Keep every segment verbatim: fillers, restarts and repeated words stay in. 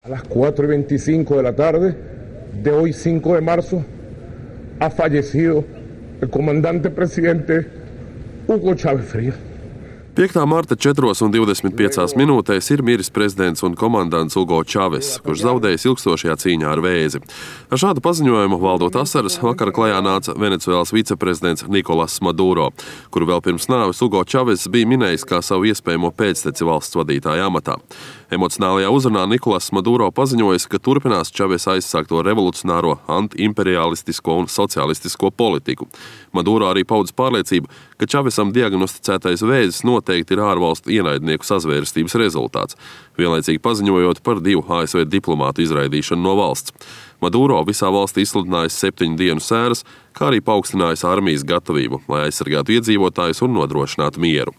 A las cuatro y veinticinco de la tarde de hoy, cinco de marzo, ha fallecido el comandante presidente Hugo Chávez Frías. piektā marta četros un divdesmit piecās minūtēs ir miris prezidents un komandants Hugo Čaves, kurš zaudējis ilgstošajā cīņā ar vēzi. Ar šādu paziņojumu valdot asaras vakar klajā nāca Venecuēlas viceprezidents Nikolas Maduro, kuru vēl pirms nāves Hugo Čaves bija minējis kā savu iespējamo pēcteci valsts vadītāja amatā. Emocionālajā uzrunā Nikolas Maduro paziņojis, ka turpinās Čaves aizsākto revolucionāro, antiimperialistisko un socialistisko politiku. Maduro arī paudis pārliecību, ka Čavesam diagnosticētais vēzis noteikti ir ārvalstu ienaidnieku sazvērstības rezultāts, vienlaicīgi paziņojot par divu A S V diplomātu izraidīšanu no valsts. Maduro visā valstī izsludinājis septiņu dienu sēras, kā arī paaugstinājis armijas gatavību, lai aizsargātu iedzīvotājus un nodrošinātu mieru.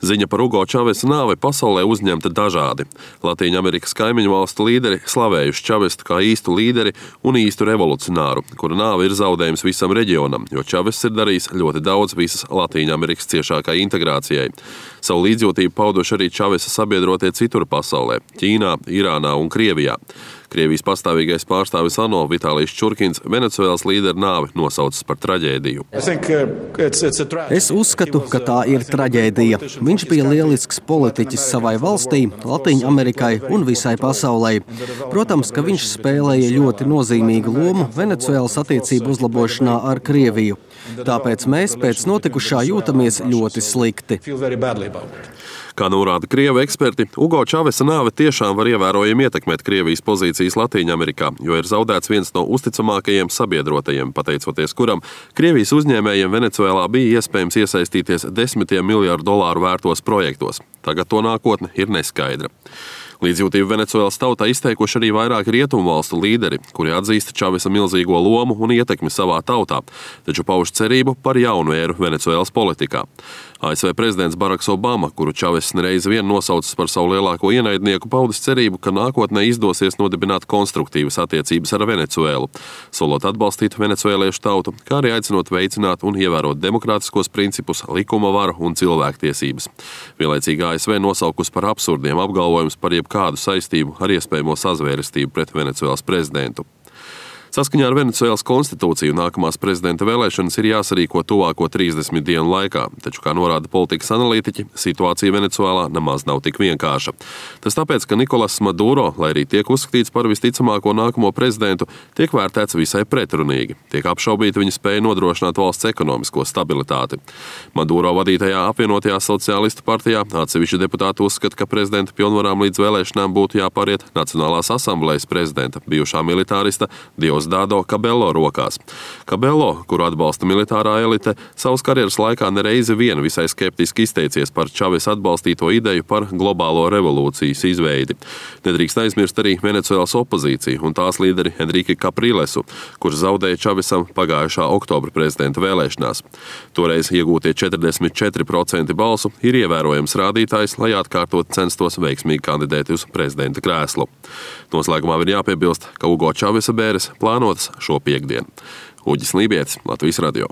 Ziņa par Hugo Čavesa nāvi pasaulē uzņemta dažādi. Latīņamerikas kaimiņu valstu līderi slavējuši Čavestu kā īstu līderi un īstu revolucionāru, kura nāve ir zaudējums visam reģionam, jo Čavests ir darījis ļoti daudz visas Latīņamerikas ciešākai integrācijai. Savu līdzjūtību pauduši arī Čavesa sabiedrotie citur pasaulē – Ķīnā, Irānā un Krievijā. Krievijas pastāvīgais pārstāvis ANO Vitālijs Čurkins Venecuēlas līderu nāvi nosaucis par traģēdiju. Es uzskatu, ka tā ir traģēdija. Viņš bija lielisks politiķis savai valstī, Latīņamerikai un visai pasaulē. Protams, ka viņš spēlēja ļoti nozīmīgu lomu Venecuēlas attiecību uzlabošanā ar Krieviju. Tāpēc mēs pēc notikušā jūtamies ļoti slikti. Kā norāda Krievu eksperti, Hugo Čavesa nāve tiešām var ievērojami ietekmēt Krievijas pozīcijas Latīņamerikā, jo ir zaudēts viens no uzticamākajiem sabiedrotajiem, pateicoties kuram Krievijas uzņēmējiem Venecuēlā bija iespējams iesaistīties desmitiem miljardu dolāru vērtos projektos. Tagad to nākotne ir neskaidra. Līdzjūtību Venecuēlas tautā izteikuši arī vairāki rietumu valstu līderi, kuri atzīst Čavesa milzīgo lomu un ietekmi savā tautā, taču pauž cerību par jaunu ēru Venecuēlas politikā. A S V prezidents Baraks Obama, kuru Čaves nereiz vien nosaucis par savu lielāko ienaidnieku, paudis cerību, ka nākotnē izdosies nodibināt konstruktīvas attiecības ar Venecuēlu, solot atbalstīt venecuēliešu tautu, kā arī aicinot veicināt un ievērot demokrātiskos principus, likuma varu un cilvēktiesības. Vienlaicīgi A S V nosaukus par absurdiem apgalvojumus par jebkādu saistību ar iespējamo sazvērestību pret Venecuēlas prezidentu. Saskaņā ar Venecuēlas konstitūciju nākamās prezidenta vēlēšanas ir jāsarīko tuvāko trīsdesmit dienu laikā, taču, kā norāda politikas analītiķi, situācija Venecuēlā nemaz nav tik vienkārša. Tas tāpēc, ka Nikolas Maduro, lai arī tiek uzskatīts par visticamāko nākamo prezidentu, tiek vērtēts visai pretrunīgi. Tiek apšaubīta viņa spēja nodrošināt valsts ekonomisko stabilitāti. Maduro vadītajā apvienotajā sociālistu partijā atsevišķi deputāti uzskata, ka prezidenta pilnvarām līdz vēlēšanām būtu jāpāriet Nacionālās asamblejas prezidenta, bijušā militārista Diosdado Cabello rokās. Cabello, kuru atbalsta militārā elite, savas karjeras laikā nereizi vien visai skeptiski izteicies par Čavesa atbalstīto ideju par globālo revolūcijas izveidi. Nedrīkst aizmirst arī Venecuēlas opozīciju un tās līderi Enrique Caprilesu, kurš zaudēja Čavesam pagājušā oktobra prezidenta vēlēšanās. Toreiz iegūtie četrdesmit četri procenti balsu ir ievērojams rādītājs, lai atkārtot censtos veiksmīgi kandidēt uz prezidenta krēslu. Noslēgumā ir jāpiebilst, ka Hugo Čavesa bēres plānotas šo piektdienu. Uģis Lībietis, Latvijas radio.